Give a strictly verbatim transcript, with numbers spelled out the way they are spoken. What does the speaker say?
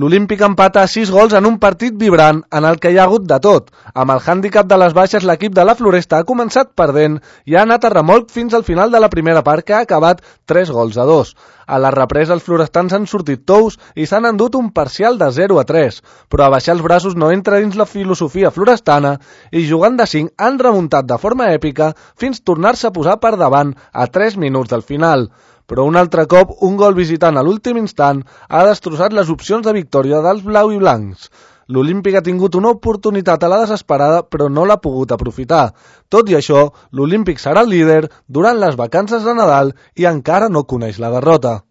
L'Olímpic empata a sis gols en un partit vibrant en el que hi ha hagut de tot. Amb el hàndicap de les baixes, l'equip de la Floresta ha començat perdent i ha anat a remolc fins al final de la primera part, que ha acabat tres gols a dos. A la represa, els florestans han sortit tous i s'han endut un parcial de zero a tres, però abaixar els braços no entra dins la filosofia florestana i jugant de cinc han remuntat de forma èpica fins tornar-se a posar per davant a tres minuts del final. Però un altre cop, un gol visitant a l'últim instant ha destrossat les opcions de victòria dels blau i blancs. L'Olímpic ha tingut una oportunitat a la desesperada, però no l'ha pogut aprofitar. Tot i això, l'Olímpic serà el líder durant les vacances de Nadal i encara no coneix la derrota.